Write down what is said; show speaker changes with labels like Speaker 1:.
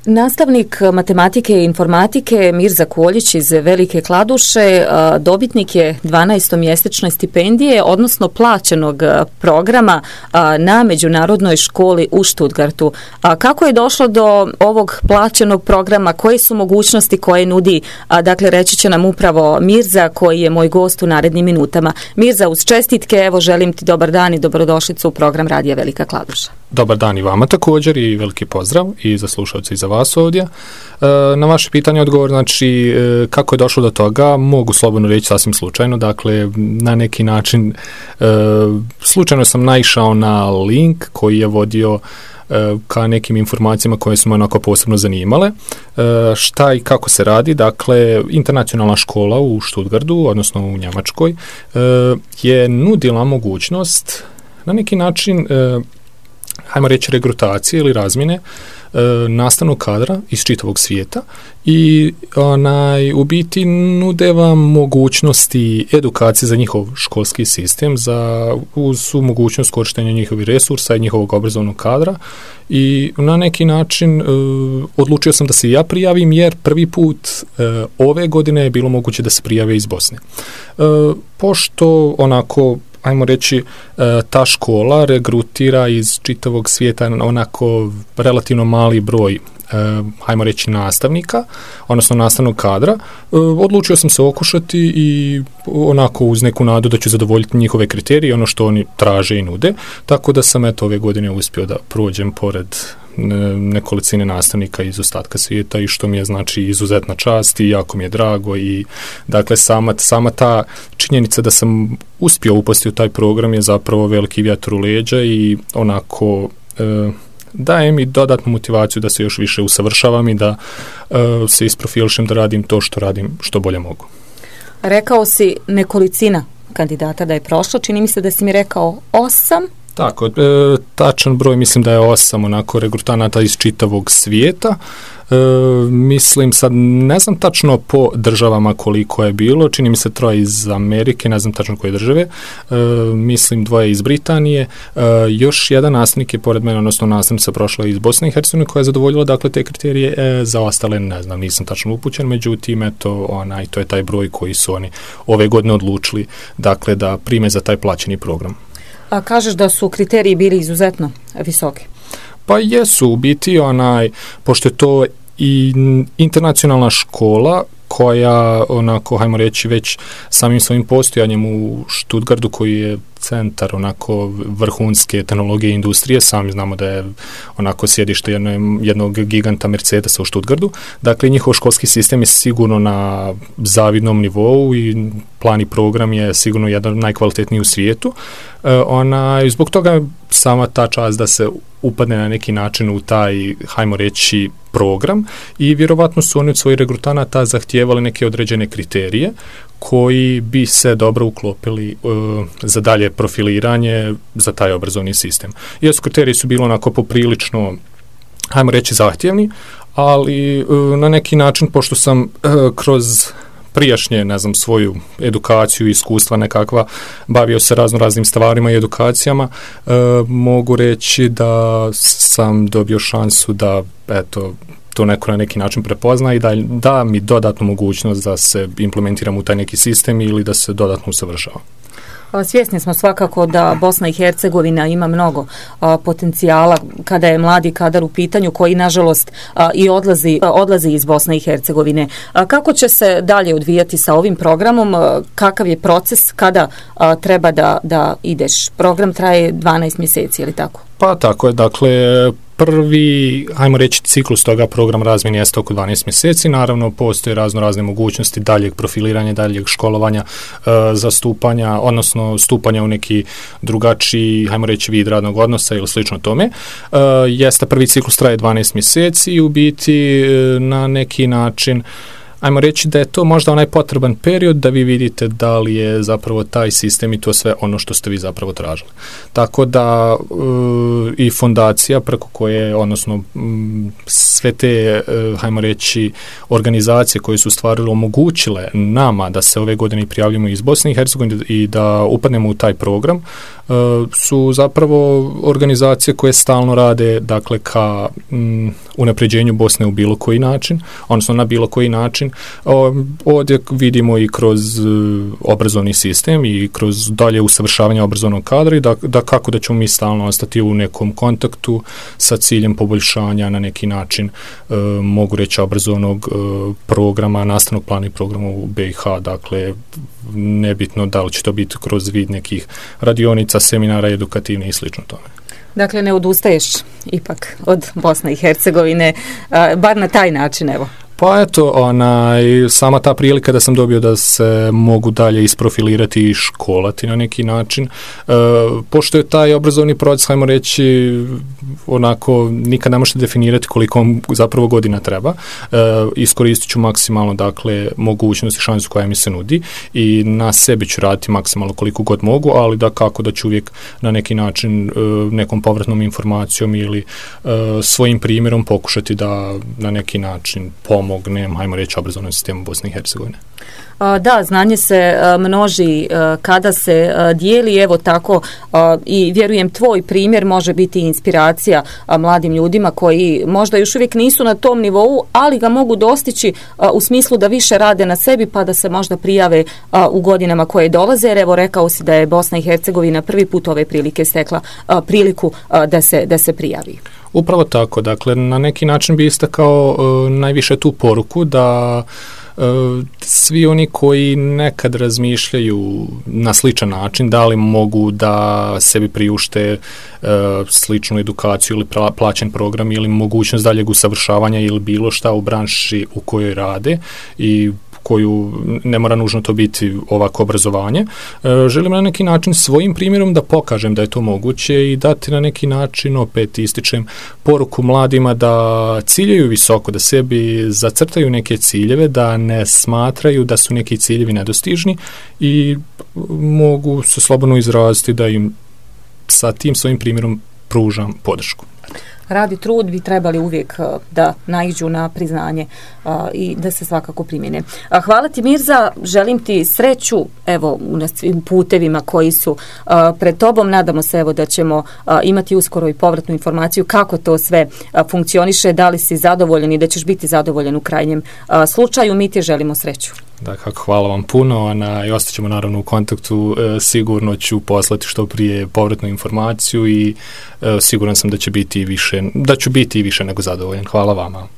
Speaker 1: Nastavnik matematike i informatike Mirza Koljić iz Velike Kladuše dobitnik je 12-mjesečne stipendije, odnosno plaćenog programa na međunarodnoj školi u Stuttgartu. Kako je došlo do ovog plaćenog programa? Koje su mogućnosti koje nudi? Dakle, reći će nam upravo Mirza, koji je moj gost u narednim minutama. Mirza, uz čestitke, evo želim ti dobar dan i dobrodošlicu u program Radija Velika Kladuša.
Speaker 2: Dobar dan i vama također i veliki pozdrav i za slušalce i za vas ovdje. Na vaše pitanje odgovor, znači kako je došlo do toga, mogu slobodno reći sasvim slučajno, dakle na neki način slučajno sam naišao na link koji je vodio ka nekim informacijama koje su me onako posebno zanimale. Šta i kako se radi, dakle internacionalna škola u Stuttgartu, odnosno u Njemačkoj, je nudila mogućnost na neki način hajmo reći regrutacije ili razmjene nastavnog kadra iz čitavog svijeta i u biti nude vam mogućnosti edukacije za njihov školski sistem, uz mogućnost korištenja njihovih resursa i njihovog obrazovnog kadra i na neki način odlučio sam da se ja prijavim jer prvi put ove godine je bilo moguće da se prijave iz Bosne. Pošto onako ajmo reći, ta škola regrutira iz čitavog svijeta onako relativno mali broj, ajmo reći, nastavnika, odnosno nastavnog kadra. Odlučio sam se okušati i onako uz neku nadu da ću zadovoljiti njihove kriterije, ono što oni traže i nude, tako da sam ove godine uspio da prođem pored nekolicine nastavnika iz ostatka svijeta i što mi je znači izuzetna čast i jako mi je drago i dakle sama ta činjenica da sam uspio upasti u taj program je zapravo veliki vjetar u leđa i onako daje mi dodatnu motivaciju da se još više usavršavam i da se isprofilišem da radim to što radim što bolje mogu.
Speaker 1: Rekao si nekolicina kandidata da je prošlo, čini mi se da si mi rekao 8.
Speaker 2: Tako, tačan broj mislim da je 8 onako regrutanata iz čitavog svijeta. Mislim sad, ne znam tačno po državama koliko je bilo, čini mi se 3 iz Amerike, ne znam tačno koje države, mislim 2 iz Britanije, još jedan nastavnik je pored mene, odnosno nastavnica prošla iz Bosne i Hercegovine koja je zadovoljila dakle te kriterije, za ostale ne znam, nisam tačno upućen, međutim eto, to je taj broj koji su oni ove godine odlučili dakle da prime za taj plaćeni program.
Speaker 1: A kažeš da su kriteriji bili izuzetno visoki?
Speaker 2: Pa jesu, u biti pošto je to i internacionalna škola koja onako, hajmo reći, već samim svojim postojanjem u Stuttgartu koji je centar onako vrhunske tehnologije i industrije, sami znamo da je onako sjedište jednog giganta Mercedesa u Stuttgartu, dakle njihov školski sistem je sigurno na zavidnom nivou i plan i program je sigurno jedan od najkvalitetnijih u svijetu. Zbog toga sama ta čast da se upadne na neki način u taj, hajmo reći, program i vjerovatno su oni od svojih regrutanata zahtijevali neke određene kriterije koji bi se dobro uklopili za dalje profiliranje za taj obrazovni sistem. Jesu, kriteriji su bili onako poprilično, hajmo reći, zahtjevni, ali na neki način, pošto sam kroz prijašnje, ne znam, svoju edukaciju i iskustva nekakva, bavio se raznim stvarima i edukacijama, mogu reći da sam dobio šansu da, eto, to neko na neki način prepozna i da mi dodatnu mogućnost da se implementiram u taj neki sistem ili da se dodatno usavršavam.
Speaker 1: Svjesni smo svakako da Bosna i Hercegovina ima mnogo potencijala kada je mladi kadar u pitanju koji nažalost i odlazi iz Bosne i Hercegovine. Kako će se dalje odvijati sa ovim programom? Kakav je proces kada treba da ideš? Program traje 12 mjeseci, je li tako?
Speaker 2: Pa tako je, dakle prvi, hajmo reći, ciklus toga program razmjene jeste oko 12 mjeseci. Naravno, postoje razne mogućnosti daljeg profiliranja, daljeg školovanja, zastupanja, odnosno stupanja u neki drugačiji, hajmo reći, vid radnog odnosa ili slično tome. Jeste prvi ciklus traje 12 mjeseci i u biti na neki način ajmo reći da je to možda onaj potreban period da vi vidite da li je zapravo taj sistem i to sve ono što ste vi zapravo tražili. Tako da i fondacija preko koje, odnosno sve te, ajmo reći, organizacije koje su stvarno omogućile nama da se ove godine prijavljamo iz Bosne i Hercegovine i da upadnemo u taj program, su zapravo organizacije koje stalno rade, dakle, ka unapređenju Bosne u bilo koji način, odnosno na bilo koji način. Ovdje vidimo i kroz obrazovni sistem i kroz dalje usavršavanje obrazovnog kadra i da kako da ćemo mi stalno ostati u nekom kontaktu sa ciljem poboljšanja na neki način, mogu reći, obrazovnog programa, nastavnog plana i programa u BiH, dakle, nebitno da li će to biti kroz vid nekih radionica, seminara, edukativne i slično tome.
Speaker 1: Dakle, ne odustaješ ipak od Bosne i Hercegovine, bar na taj način, evo.
Speaker 2: Pa eto, sama ta prilika da sam dobio da se mogu dalje isprofilirati i školati na neki način. Pošto je taj obrazovni proces, hajmo reći, onako, nikad ne možete definirati koliko vam zapravo godina treba. Iskoristit ću maksimalno, dakle, mogućnost i šansu koja mi se nudi i na sebi ću raditi maksimalno koliko god mogu, ali da kako da ću uvijek na neki način nekom povratnom informacijom ili svojim primjerom pokušati da na neki način pomognem, hajmo reći, obrazovnom sistemu Bosne i Hercegovine.
Speaker 1: Da, znanje se množi kada se dijeli, evo tako, i vjerujem tvoj primjer može biti inspiracija mladim ljudima koji možda još uvijek nisu na tom nivou, ali ga mogu dostići u smislu da više rade na sebi pa da se možda prijave u godinama koje dolaze, jer evo rekao si da je Bosna i Hercegovina prvi put ove prilike stekla priliku da se prijavi.
Speaker 2: Upravo tako, dakle, na neki način bi istakao najviše tu poruku da svi oni koji nekad razmišljaju na sličan način, da li mogu da sebi priušte sličnu edukaciju ili plaćen program ili mogućnost daljeg usavršavanja ili bilo šta u branši u kojoj rade i koju ne mora nužno to biti ovako obrazovanje. Želim na neki način svojim primjerom da pokažem da je to moguće i dati na neki način, opet ističem, poruku mladima da ciljaju visoko, da sebi zacrtaju neke ciljeve, da ne smatraju da su neki ciljevi nedostižni i mogu se slobodno izraziti da im sa tim svojim primjerom pružam podršku.
Speaker 1: Rad i trud bi trebali uvijek da naiđu na priznanje i da se svakako primjene. Hvala ti, Mirza, želim ti sreću evo na svim putevima koji su pred tobom. Nadamo se evo da ćemo imati uskoro i povratnu informaciju kako to sve funkcioniše, da li si zadovoljan i da ćeš biti zadovoljan u krajnjem slučaju. Mi ti želimo sreću.
Speaker 2: Dakle, hvala vam puno i ostaćemo naravno u kontaktu. Sigurno ću poslati što prije povratnu informaciju i siguran sam da ću biti i više nego zadovoljan. Hvala vama.